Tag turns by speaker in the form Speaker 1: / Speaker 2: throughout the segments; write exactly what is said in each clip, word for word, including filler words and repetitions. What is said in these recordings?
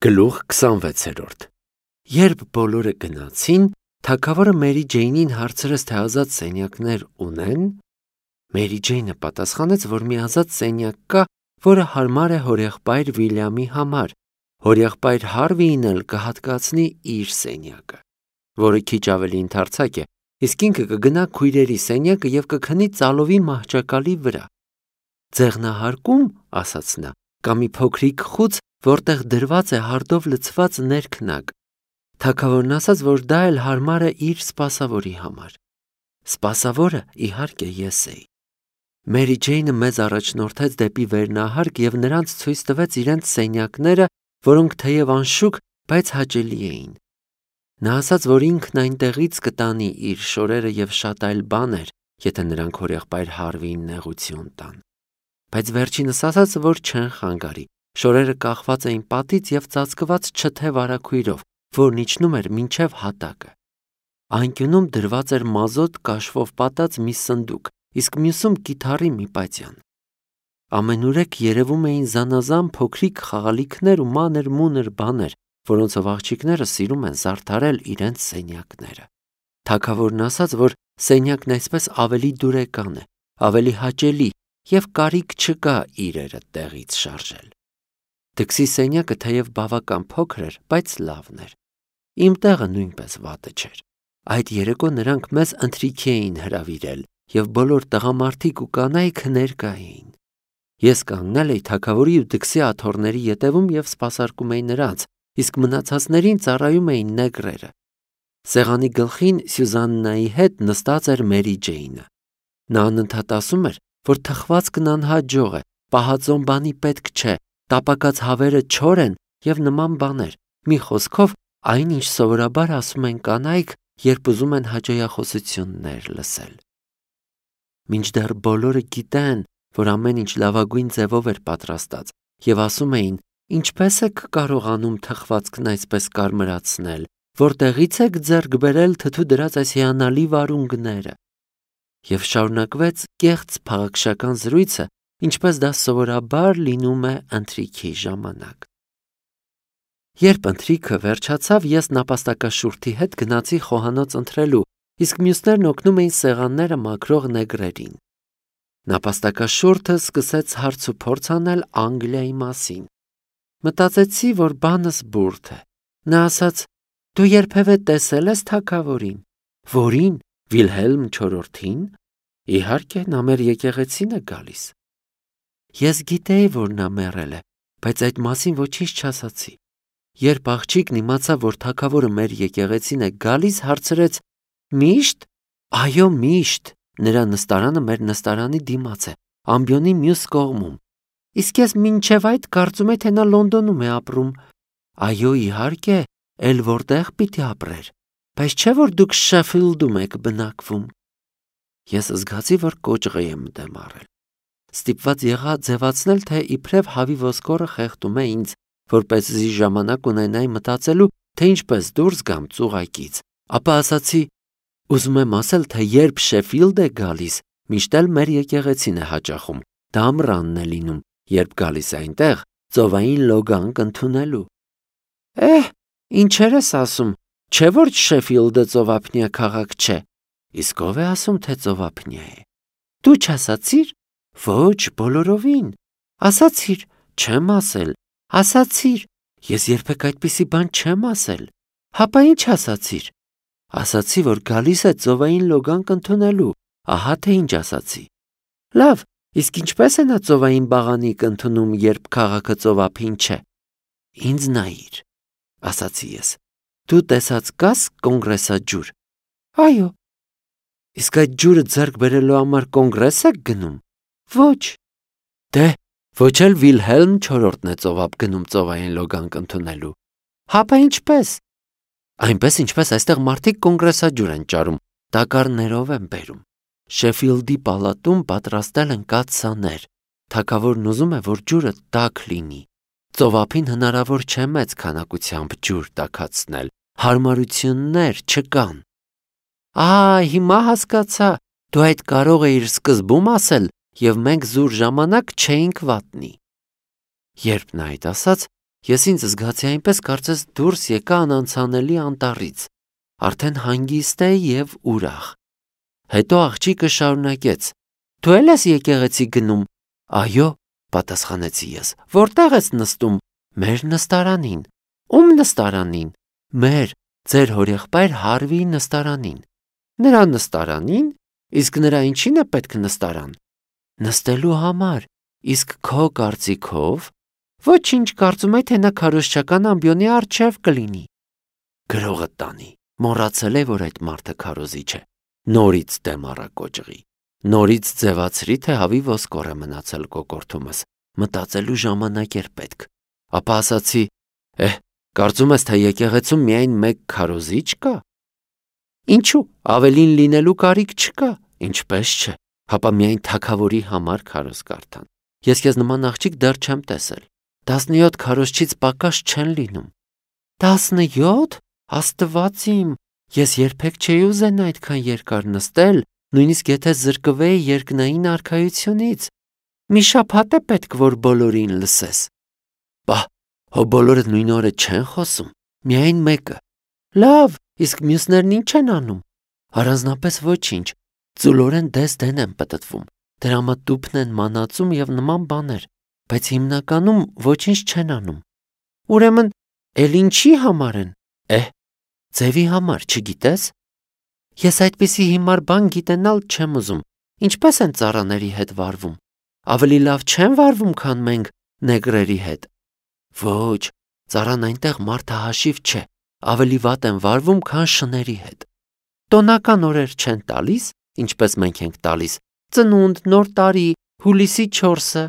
Speaker 1: Գլուխ քսանվեցերորդ Երբ բոլորը գնացին, թագավորը Մերի Ջեյնին հարցրեց, թե ազատ սենյակներ ունեն։ Մերի Ջեյնը պատասխանեց, որ մի ազատ սենյակ կա, որը հարմար է հորեղբայր Վիլյամի համար։ Հորեղբայր Հարվիին էլ կհատկացնի իր սենյակը, որը քիչ ավելի ընդարձակ է, իսկ ինքը կգնա քույրերի սենյակը և կքնի ծալովի մահճակալի վրա։ Ձեղնահարկում, ասաց նա, կա մի փոքրիկ խուց, որտեղ դրված է հարդով լցված ներքնակ։ Թագավորն ասաց, որ դա էլ հարմար է իր սպասավորի համար։ Սպասավորը, իհարկե, ես էի։ Մերի Ջեյնը մեզ առաջնորդեց դեպի վերնահարկ և նրանց ցույց տվեց իրենց սենյակները, որոնք թեև անշուք, բայց հաճելի էին։ Նա ասաց, որ ինքն այնտեղից կտանի իր շորերը և շատ այլ բաներ, եթե նրանք հորեղբայր Հարվիին նեղություն տան։ Բայց վերջինս ասաց, որ չեն խանգարի։ Շորերը կախված էին պատից և ծածկված չթե վարագույրով, որն իջնում էր մինչև հատակը։ Անկյունում դրված էր մազոտ կաշվով պատած մի սնդուկ, իսկ մյուսում կիթառի մի պատյան։ Ամենուրեք երևում էին զանազան փոքրիկ խաղալիքներ ու մանր-մունր բաներ, որոնցով աղջիկները սիրում են զարդարել իրենց սենյակները։ Թագավորն ասաց, որ սենյակն այսպես ավելի դուրեկան է, ավելի հաճելի և կարիք չկա իրերը տեղից շարժել։ Դքսի սենյակը թեև բավական փոքր էր, բայց լավն էր։ Իմ տեղը նույնպես վատը չէր։ Այդ երեկո նրանք մեզ ընթրիքի էին հրավիրել, և բոլոր տղամարդիկ ու կանայք ներկա էին։ Ես կանգնել էի թագավորի ու դքսի աթոռների ետևում և սպասարկում էի նրանց, իսկ մնացածներին ծառայում էին նեգրերը։ Սեղանի գլխին Սյուզաննայի հետ նստած էր Մերի Ջեյնը։ Նա անընդհատ ասում էր, որ թխվածքն անհաջող է, պահածոն բանի պետք չէ, տապակած հավերը չոր են և նման բաներ։ Մի խոսքով, այն, ինչ սովորաբար ասում են կանայք, երբ ուզում են հաճոյախոսություններ լսել։ Մինչդեռ բոլորը գիտեն, որ ամեն ինչ լավագույն ձևով էր պատրաստած, և ասում էին, ինչպես եք կարողանում թխվածքն այսպես կարմրացնել, որտեղից եք ձեռք բերել թթու դրած այս հիանալի վարունգները։ Եվ շարունակվեց կեղծ փաղաքշական զրույցը, ինչպես դա սովորաբար լինում է ընթրիքի ժամանակ։ Երբ ընթրիքը վերջացավ, ես նապաստակաշուրթի հետ գնացի խոհանոց ընթրելու, իսկ մյուսներն օգնում էին սեղանները մաքրող նեգրերին։ Նապաստակաշուրթը սկսեց հարց ու փորձ անել Անգլիայի մասին։ Մտածեցի, որ բանս բուրդ է։ Նա ասաց. «Դու երբևէ տեսել ես թագավորին»։ «Որին, Վիլհելմ չորրորդին»։ «Իհարկե, նա մեր եկեղեցին է գալիս»։ Ես գիտեի, որ նա մեռել է, բայց այդ մասին ոչինչ չասացի։ Երբ աղջիկն իմացավ, որ թագավորը մեր եկեղեցին է գալիս, հարցրեց. «Միշտ»։ «Այո, միշտ։ Նրա նստարանը մեր նստարանի դիմաց է, ամբիոնի մյուս կողմում»։ «Իսկ ես մինչև այդ կարծում էի, թե նա Լոնդոնում է ապրում»։ «Այո, իհարկե, էլ որտեղ պիտի ապրեր, բայց չէ՞ որ դուք Շեֆիլդում եք բնակվում»։ Ես զգացի, որ կոճղի եմ դեմ առել։ Ստիպված եղա ձևացնել, թե իբրև հավի ոսկորը խեղդում է ինձ, որպեսզի ժամանակ ունենայի մտածելու, թե ինչպես դուրս գամ ծուղակից։ Ապա ասացի. «Ուզում եմ ասել, թե երբ Շեֆիլդ է գալիս, միշտ էլ մեր եկեղեցին է հաճախում, դա ամռանն է լինում, երբ գալիս է այնտեղ ծովային լոգանք ընդունելու»։ «Էհ, ինչեր ես ասում, չէ՞ որ Շեֆիլդը ծովափնյա քաղաք չէ»։ «Իսկ ով է ասում, թե ծովափնյա է»։ «Դու չասացի՞ր»։ «Ոչ, բոլորովին»։ «Ասացի՞ր»։ «Չեմ ասել»։ «Ասացի՞ր»։ «Ես երբեք այդպիսի բան չեմ ասել»։ «Հապա ինչ ասացիր»։ «Ասացի, որ գալիս է ծովային լոգանք ընդունելու, ահա թե ինչ ասացի»։ «Լավ, իսկ ինչպես է նա ծովային բաղանիք ընդունում, երբ քաղաքը ծովափին չէ»։ «Ինձ նայիր», ասացի ես։ «Դու տեսած կաս կոնգրեսաջուր»։ «Այո»։ «Իսկ այդ ջուրը ձեռք բերելու համար կոնգրես եք գնում»։ «Ոչ»։ «Դե, ոչ էլ Վիլհելմ չորրորդն է ծովափ գնում ծովային լոգանք ընդունելու»։ «Հապա ինչպես»։ «Այնպես, ինչպես այստեղ մարդիկ կոնգրեսաջուր են ճարում, տակառներով են բերում։ Շեֆիլդի պալատում պատրաստել են կաթսաներ։ Թագավորն ուզում է, որ ջուրը տաք լինի։ Ծովափին հնարավոր չէ մեծ քանակությամբ ջուր տաքացնել, հարմարություններ չկան»։ «Ա, հիմա հասկացա, դու այդ կարող էիր սկզբում ասել, և մենք զուր ժամանակ չէինք վատնի»։ Երբ նա այդ ասաց, Ես ինձ զգացի այնպես, կարծես դուրս եկա անանցանելի անտառից, արդեն հանգիստ է եւ ուրախ։ Հետո աղջիկը շարունակեց. «Դու էլ ես եկեղեցի գնում»։ «Այո», պատասխանեցի ես։ «Որտեղ ես նստում»։ «Մեր նստարանին»։ «Ում նստարանին»։ «Մեր, ձեր հորեղբայր Հարվիի նստարանին»։ «Նրա նստարանին»։ «Իսկ նրա ինչին է պետք նստարան»։ «Նստելու համար»։ «Իսկ քո կարծիքով»։ «Ոչինչ, կարծում եմ, թե նա քարոզչական ամբիոնի առջև կլինի»։ Գրողը տանի, մոռացել է, որ այդ մարդը քարոզիչ է։ Նորից դեմ առակոճղի։ Նորից ձևացրի, թե հավի ոսկոր է մնացել կոկորդումս, մտածելու ժամանակ էր պետք։ Ապա ասացի. «Էհ, կարծում ես, թե եկեղեցում միայն մեկ քարոզիչ կա»։ «Ինչու, ավելին լինելու կարիք չկա»։ «Ինչպես չէ, հապա միայն թագավորի համար քարոզ կարդան։ Ես քեզ նման աղջիկ դեռ չեմ տեսել։ Տասնյոթ քարոզչից պակաս չեն լինում»։ «Տասնյոթ, Աստված իմ, ես երբեք չէի ուզենա այդքան երկար նստել, նույնիսկ եթե զրկվեի երկնային արքայությունից։ Մի շաբաթ է պետք, որ բոլորին լսես»։ «Բա, հո բոլորը նույն օրը չեն խոսում, միայն մեկը»։ «Լավ, իսկ մյուսներն ինչ են անում»։ «Առանձնապես ոչինչ, ծուլորեն դես-դեն են պտտվում, դրամատուփն են մանածում եւ նման բաներ, բայց հիմնականում ոչինչ չեն անում»։ «Ուրեմն, էլ ինչի համար են»։ «Էհ, ձևի համար, չգիտես»։ «Ես այդպիսի հիմար բան գիտենալ չեմ ուզում, ինչպես են ծառաների հետ վարվում։ Ավելի լավ չեն վարվում, քան մենք նեգրերի հետ»։ «Ոչ, ծառան այնտեղ մարդահաշիվ չէ, ավելի վատ են վարվում, քան շների հետ»։ «Տոնական օրեր չեն տալիս, ինչպես մենք ենք տալիս, ծնունդ, նոր տարի, հուլիսի չորսը»։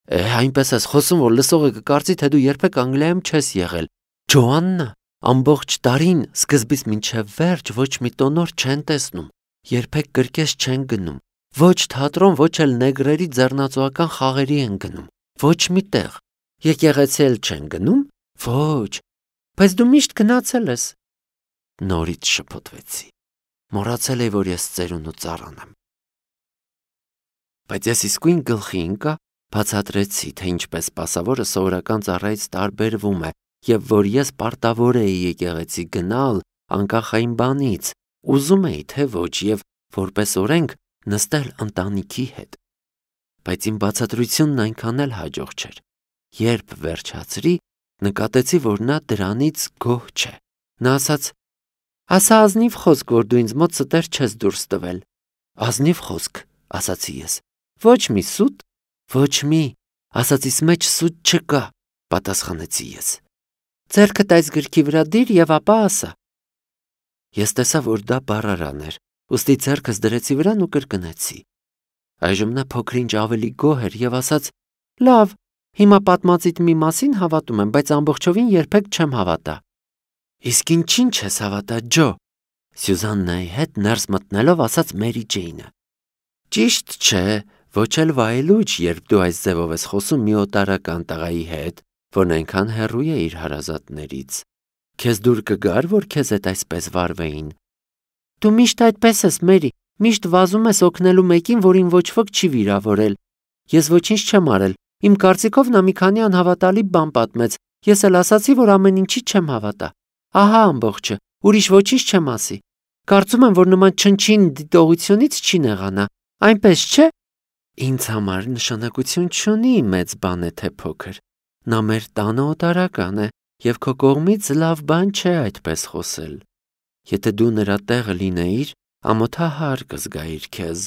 Speaker 1: «Էհ, այնպես ես խոսում, որ լսողը կկարծի, թե դու երբեք Անգլիայում չես եղել։ Ջոաննա, ամբողջ տարին, սկզբից մինչև վերջ, ոչ մի տոնոր չեն տեսնում, երբեք կրկես չեն գնում, ոչ թատրոն, ոչ էլ նեգրերի ձեռնածոական խաղերի են գնում, ոչ մի տեղ։ Եկեղեցի էլ չեն գնում։ Ոչ, բայց դու միշտ գնացել ես»։ Նորից շփոթվեցի։ Մոռացել էի, որ ես ծերուն ու ծառան եմ։ Բայց ես իսկույն գլխի ընկա, բացատրեցի, թե ինչպես սպասավորը սովորական ծառայից տարբերվում է, եւ որ ես պարտավոր էի եկեղեցի գնալ անկախ այն բանից, ուզում էի, թե ոչ, եւ որպես օրենք նստել ընտանիքի հետ։ Բայց իմ բացատրությունն այնքան էլ հաջող չէր։ Երբ վերջացրի, նկատեցի, որ նա դրանից գոհ չէ։ Նա ասաց. «Ասա ազնիվ խոսք, որ դու ինձ մոտ ստեր չես դուրս տվել»։ «Ազնիվ խոսք», ասացի ես։ «Ոչ մի սուտ»։ «Ոչ մի, ասածիս մեջ սուտ չկա», պատասխանեցի ես։ «Ձեռքդ այս գրքի վրա դիր եւ ապա ասա»։ Ես տեսա, որ դա բառարան էր, ուստի ձեռքս դրեցի վրան ու կրկնեցի։ Այժմ նա փոքր-ինչ ավելի գոհ էր եւ ասաց. «Լավ, հիմա պատմածիդ մի մասին հավատում եմ, բայց ամբողջովին երբեք չեմ հավատա»։ «Իսկ ինչին չես հավատա, Ջո»։ Սյուզաննայի հետ ներս մտնելով ասաց Մերի Ջեյնը։ «Ճիշտ չէ, ոչ էլ վայելուչ, երբ դու այս ձևով ես խոսում մի օտարական տղայի հետ, որն այնքան հեռու է իր հարազատներից։ Քեզ դուր կգար, որ քեզ հետ այսպես վարվեին»։ «Դու միշտ այդպես ես, Մերի, միշտ վազում ես օգնելու մեկին, որին ոչ ոք չի վիրավորել։ Ես ոչինչ չեմ արել, իմ կարծիքով նա մի քանի անհավատալի բան պատմեց, ես էլ ասացի, որ ամեն ինչի չեմ հավատա։ Ահա ամբողջը, ուրիշ ոչինչ չեմ ասի։ Կարծում եմ, որ նման չնչին դիտողությունից չի նեղանա, այնպես չէ»։ «Ինձ համար նշանակություն չունի մեծ բան է թե փոքր։ Նա մեր տանը օտարական է, եւ քո կողմից լավ բան չէ այդպես խոսել։ Եթե դու նրա տեղը լինեիր, ամոթահար կզգայիր քեզ։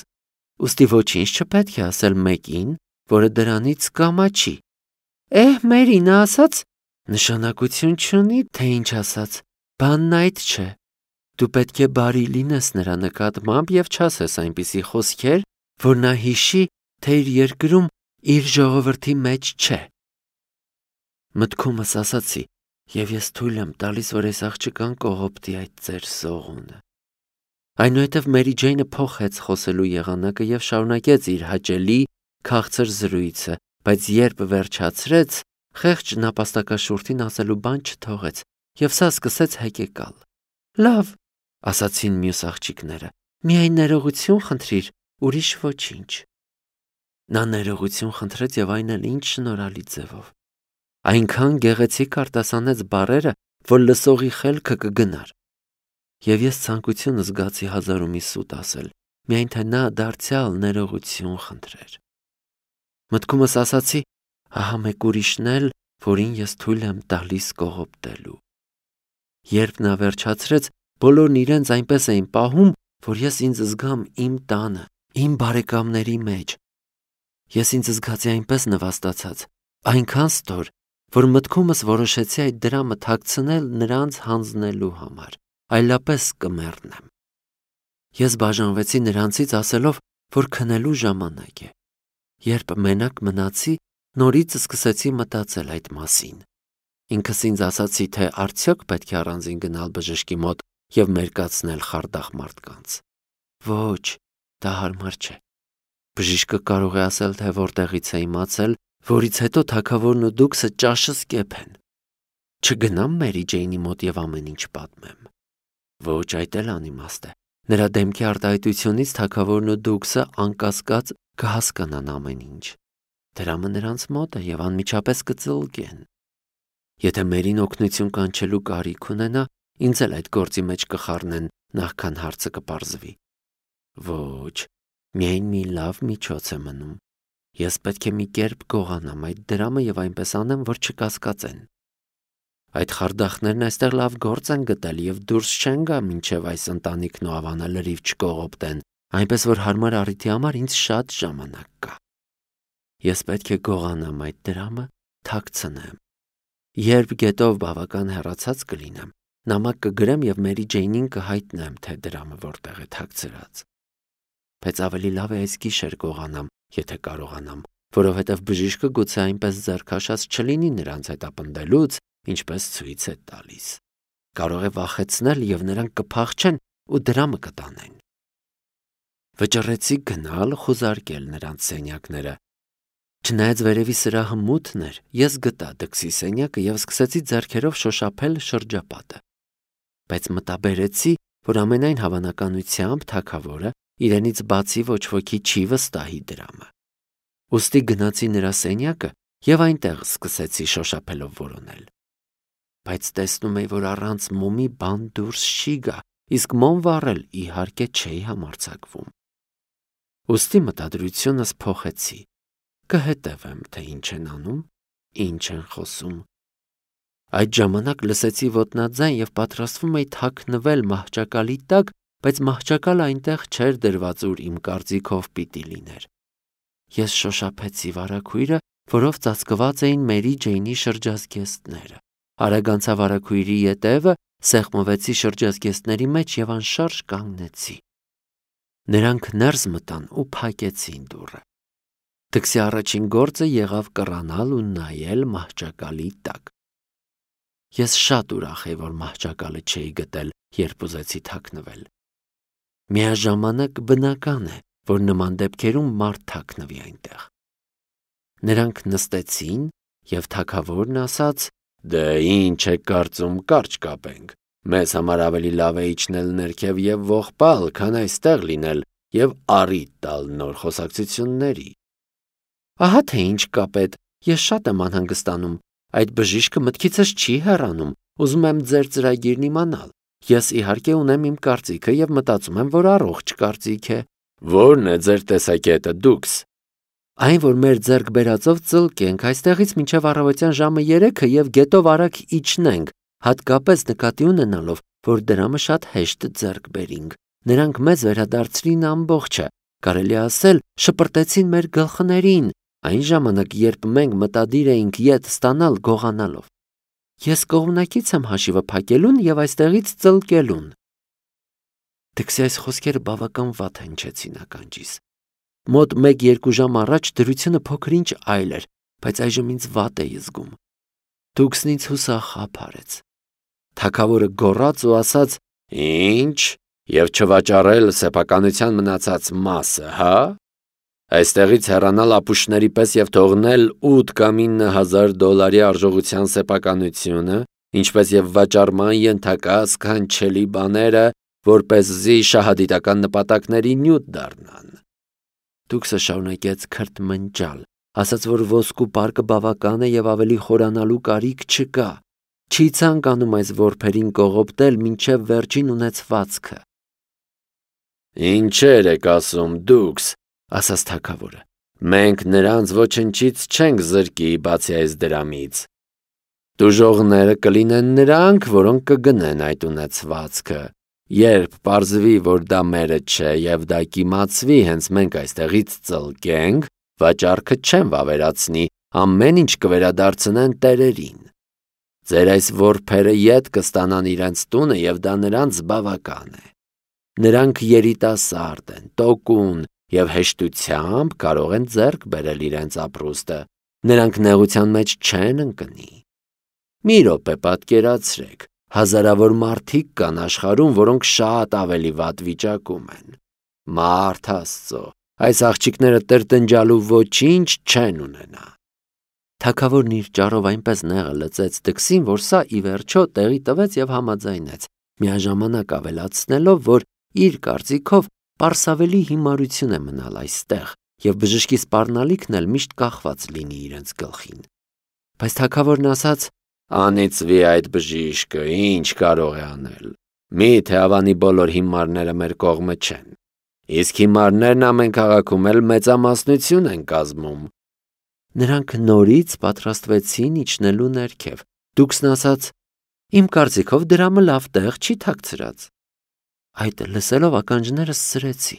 Speaker 1: Ուստի ոչինչ չպետք է ասել մեկին, որը դրանից կամաչի»։ «Էհ, Մերի, նա ասաց»։ «Նշանակություն չունի, թե ինչ ասաց, բանն այդ չէ։ Դու պետք է բարի լինես նրա նկատմամբ եւ չասես այնպիսի խոսքեր, որ նա հիշի, թե իր երկրում իր ժողովրդի մեջ չէ»։ Մտքումս ասացի, եւ ես թույլ եմ տալիս, որ այս աղջկան կողոպտի այդ ծեր սողունը։ Այնուհետև Մերի Ջեյնը փոխեց խոսելու եղանակը եւ շարունակեց իր հաճելի քաղցր զրույցը, բայց երբ վերջացրեց, խեղճ նապաստակաշուրթին ասելու բան չթողեց եւ սա սկսեց հեկեկալ։ «Լավ», ասացին մյուս աղջիկները, «միայն ներողություն խնդրիր, ուրիշ ոչինչ»։ Նա ներողություն խնդրեց եւ այն էլ ինչ շնորհալի ձևով։ այնքան գեղեցիկ արտասանեց բառերը, որ լսողի խելքը կգնար։ Եվ ես ցանկություն զգացի հազար ու մի սուտ ասել, միայն թե նա դարձյալ ներողություն խնդրեր։ Մտքումս ասացի, ահա մեկ ուրիշն էլ, որին ես թույլ եմ տալիս կողոպտելու։ Երբ նա վերջացրեց, բոլորն իրենց այնպես էին պահում, որ ես ինձ զգամ իմ տանը, իմ բարեկամների մեջ։ Ես ինձ զգացի այնպես նվաստացած, այնքան ստոր, որ մտքումս որոշեցի այդ դրամը թաքցնել նրանց հանձնելու համար, այլապես կմեռնեմ։ Ես բաժանվեցի նրանցից ասելով, որ քնելու ժամանակ է։ Երբ մենակ մնացի, նորից սկսեցի մտածել այդ մասին։ Ինքս ինձ ասացի, թե արդյոք պետք է առանձին գնալ բժշկի մոտ և մերկացնել խարդախ մարդկանց։ Ոչ, դա հարմար չէ։ Բժիշկը կարող է ասել, թե որտեղից է իմացել, որից հետո թագավորն ու դուքսը ճաշս կեփեն։ Չգնամ Մերի Ջեյնի մոտ և ամեն ինչ պատմեմ։ Ոչ, այդ էլ անիմաստ է։ Նրա դեմքի արտահայտությունից թագավորն ու դուքսը անկասկած կհասկանան ամեն ինչ։ Դրամը նրանց մոտ է և անմիջապես կծլկեն։ Եթե Մերին օգնություն կանչելու կարիք ունենա, ինձ էլ այդ գործի մեջ կխառնեն, նախքան հարցը կպարզվի։ Ոչ, միայն մի լավ միջոց է մնում։ Ես պետք է մի կերպ գողանամ այդ դրամը և այնպես անեմ, որ չկասկածեն։ Այդ խարդախներն այստեղ լավ գործ են գտել և դուրս չեն գա, մինչև այս ընտանիքն ու ավանը լրիվ չկողոպտեն, այնպես որ հարմար առիթի համար ինձ շատ ժամանակ կա։ Ես պետք է գողանամ այդ դրամը, թաքցնեմ։ Երբ գետով բավական հեռացած կլինեմ, նամակ կգրեմ և Մերի Ջեյնին կհայտնեմ, թե դրամը որտեղ է թաքցրած։ Բայց ավելի լավ է այս գիշեր գողանամ, եթե կարողանամ, որովհետև բժիշկը գուցե այնպես ձեռքաշած չլինի նրանց հետապնդելուց, ինչպես ցույց է տալիս։ Կարող է վախեցնել և նրանք կփախչեն ու դրամը կտանեն։ Վճռեցի գնալ խուզարկել նրանց սենյակները։ Չնայած վերևի սրահը մութն էր, ես գտա դքսի սենյակը և սկսեցի ձեռքերով շոշափել շրջապատը։ Բայց մտաբերեցի, որ ամենայն հավանականությամբ թագավորը իրենից բացի ոչ ոքի չի վստահի դրամը։ Ուստի գնացի նրա սենյակը և այնտեղ սկսեցի շոշափելով որոնել։ Բայց տեսնում էի, որ առանց մոմի բան դուրս չի գա, իսկ մոմ վառել իհարկե չէի համարձակվում։ Ուստի մտադրությունս փոխեցի։ Կհետևեմ, թե ինչ են անում, ինչ են խոսում։ Այդ ժամանակ լսեցի ոտնաձայն և պատրաստվում էի թաքնվել մահճակալի տակ, բայց մահճակալը այնտեղ չէր դրված, ուր իմ կարծիքով պիտի լիներ։ Ես շոշափեցի վարագույրը, որով ծածկված էին Մերի Ջեյնի շրջազգեստները։ Արագ անցա վարագույրի ետևը, սեղմվեցի շրջազգեստների մեջ և անշարժ կանգնեցի։ Նրանք ներս մտան ու փակեցին դուռը։ Դքսի առաջին գործը եղավ կռանալ ու նայել մահճակալի տակ։ Ես շատ ուրախ էի, որ մահճակալը չէի գտել, երբ ուզեցի թաքնվել։ Միաժամանակ բնական է, որ նման դեպքերում մարդ թաքնվի այնտեղ։ Նրանք նստեցին, և թագավորն ասաց. «Դե ինչ եք կարծում, կարճ կապենք։ Մեզ համար ավելի լավ է իջնել ներքև և ողբալ, քան այստեղ լինել և առիթ տալ նոր խոսակցությունների»։ Ահա թե ինչ կապետ, ես շատ եմ անհանգստանում։ Այդ բժիշկը մտքիցս չի հեռանում, ուզում եմ ձեր ծրագիրն իմանալ։ Ես իհարկե ունեմ իմ կարծիքը և մտածում եմ, որ առողջ կարծիք է։ Ո՞րն է ձեր տեսակետը, դուքս։ Այն, որ մեր ձեռք բերածով ծլկենք այստեղից մինչև առավոտյան ժամը երեքը և գետով արագ իջնենք, հատկապես նկատի ունենալով, որ դրամը շատ հեշտ ձեռք բերինք։ Նրանք մեզ վերադարձրին ամբողջը, կարելի է ասել, շպրտեցին մեր գլխներին, այն ժամանակ, երբ մենք մտադիր էինք ետ ստանալ գողանալով։ Ես կողմնակից եմ հաշիվը փակելուն և այստեղից ծլկելուն։ Դքսի այս խոսքերը բավական վատ հնչեցին ականջիս։ Մոտ մեկ-երկու ժամ առաջ դրությունը փոքր-ինչ այլ էր, բայց այժմ ինձ վատ էի զգում։ Դուքսն ինձ հուսախաբ արեց։ Թագավորը գոռաց ու ասաց. «Ինչ, և չվաճառել սեփականության մնացած մասը, հա՞։ Այստեղից հեռանալ ապուշների պես և թողնել ութ կամ ինը հազար դոլարի արժողության սեփականությունը, ինչպես և վաճառման ենթակա սքանչելի բաները, որպեսզի շահադիտական նպատակների նյութ դառնան»։ Դուքսը շարունակեց քրթմնջալ, ասաց, որ ոսկու պարկը բավական է եւ ավելի խորանալու կարիք չկա, չի ցանկանում այս որբերին կողոպտել մինչև վերջին ունեցվածքը։ Ինչեր եք ասում դուքս, ասաց թագավորը, մենք նրանց ոչնչից չենք զրկի բացի այս դրամից։ Տուժողները կլինեն նրանք, որոնք կգնեն այդ ունեցվածքը, երբ պարզվի, որ դա մերը չէ եւ դա կիմացվի, հենց մենք այստեղից ծլկենք, վաճառքը չեն վավերացնի, ամեն ինչ կվերադարձնեն տերերին։ Ձեր այս որբերը ետ կստանան իրենց տունը եւ դա նրանց բավական է։ Նրանք երիտասարդ են, տոկուն եւ հեշտությամբ կարող են ձեռք բերել իրենց ապրուստը, նրանք նեղության մեջ չեն ընկնի։ Մի րոպե պատկերացրեք, հազարավոր մարդիկ կան աշխարհում, որոնք շատ ավելի վատ վիճակում են։ Մարդ Աստծո, այս աղջիկները տրտնջալու ոչինչ չեն ունենա։ Թագավորն իր ճառով այնպես նեղը լծեց դքսին, որ սա ի վերջո տեղի տվեց եւ համաձայնեց, միաժամանակ ավելացնելով, որ իր կարծիքով պարսավելի հիմարություն է մնալ այստեղ եւ բժշկի սպառնալիքն էլ միշտ կախված լինի իրենց գլխին։ Բայց թագավորն ասաց. «Անիծվի այդ բժիշկը, ինչ կարող է անել։ Միթե ավանի բոլոր հիմարները մեր կողմը չեն։ Իսկ հիմարներն ամեն քաղաքում էլ մեծամասնություն են կազմում»։ Նրանք նորից պատրաստվեցին իջնելու ներքև։ Դուքսն ասաց. «Իմ կարծիքով դրամը լավ տեղ չի թաքցրած»։ Այդ լսելով ականջներս սրեցի։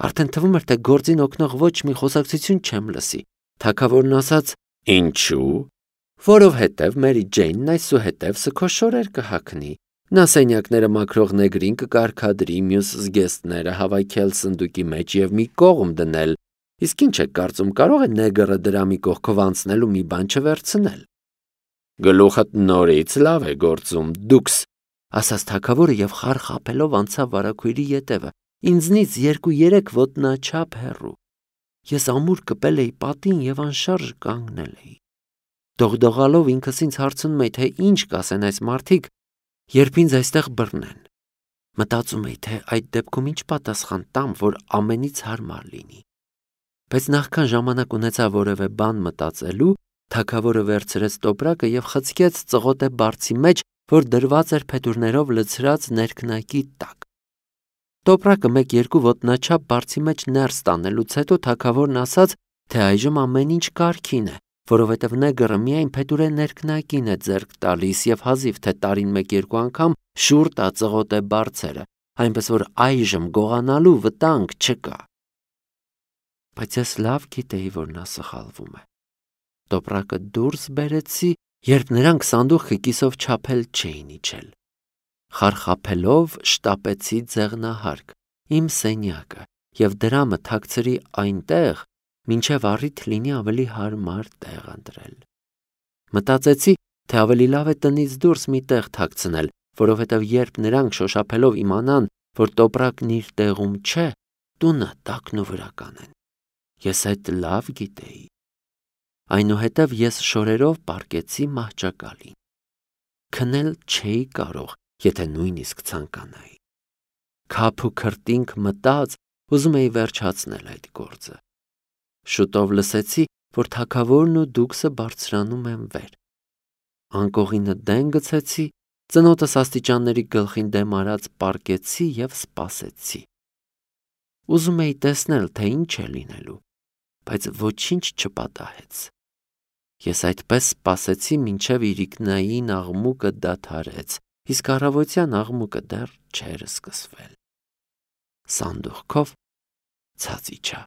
Speaker 1: Արդեն թվում էր, թե գործին օգնող ոչ մի խոսակցություն չեմ լսի։ Թագավորն ասաց. «Ինչու՞։ Որովհետև Մերի Ջեյնն այսուհետև սքոշորեր կհագնի։ Նա սենյակները մաքրող նեգրին կկարգադրի, մյուս զգեստները հավաքել սնդուկի մեջ եւ մի կողմ դնել։ Իսկ ինչ եք կարծում, կարող է նեգրը դրամի կողքով անցնել ու մի բան չվերցնել»։ Գլուխդ նորից լավ է գործում, դուքս, ասաց թագավորը եւ խարխափելով անցավ վարագույրի ետևը, ինձնից երկու-երեք ոտնաչափ հեռու։ Ես ամուր կպել էի պատին եւ անշարժ կանգնել էի։ Դողդողալով ինքս ինձ հարցնում էի, թե ինչ կասեն այս մարդիկ, երբ ինձ այստեղ բռնեն։ Մտածում էի, թե այդ դեպքում ինչ պատասխան տամ, որ ամենից հարմար լինի։ Բայց նախքան ժամանակ ունեցա որևէ բան մտածելու, թագավորը վերցրեց տոպրակը եւ խցկեց ծղոտե բարձի մեջ, որ դրված էր փետուրներով լցրած ներքնակի տակ։ Տոպրակը մեկ-երկու ոտնաչափ բարձի մեջ ներս տանելուց հետո թագավորն ասաց, թե այժմ ամեն ինչ կարգին է, որովհետև նեգրը միայն փետուրե ներքնակին է ձեռք տալիս եւ հազիվ թե տարին մեկ-երկու անգամ շուռ տա ծղոտե բարձերը, այնպես որ այժմ գողանալու վտանգ չկա։ Բայց ես լավ գիտեի, որ նա սխալվում է։ Տոպրակը դուրս բերեցի, երբ նրանք սանդուղքը կիսով չափել չէին իջել։ Խարխափելով շտապեցի ձեղնահարկ, իմ սենյակը, եւ դրամը թաքցրի այնտեղ, մինչև առիթ լինի ավելի հարմար տեղ ընտրել։ Մտածեցի, թե ավելի լավ է տնից դուրս մի տեղ թաքցնել, որովհետև երբ նրանք շոշափելով իմանան, որ տոպրակն իր տեղում չէ, տունը տակն ու վրա կանեն։ Ես այդ լավ գիտեի։ Այնուհետև ես շորերով պառկեցի մահճակալին։ Քնել չէի կարող, եթե նույնիսկ ցանկանայի։ Քափ ու քրտինք մտած, ուզում էի վերջացնել այդ գործը։ Շուտով լսեցի, որ թագավորն ու դուքսը բարձրանում են վեր։ Անկողինը դեն գցեցի, ծնոտս աստիճանների գլխին դեմ արած պառկեցի եւ սպասեցի։ Ուզում էի տեսնել, թե ինչ է լինելու, բայց ոչինչ չպատահեց։ Ես այդպես սպասեցի, մինչև իրիկնային աղմուկը դադարեց, իսկ առավոտյան աղմուկը դեռ չէր սկսվել։ Սանդուղքով ցած իջա։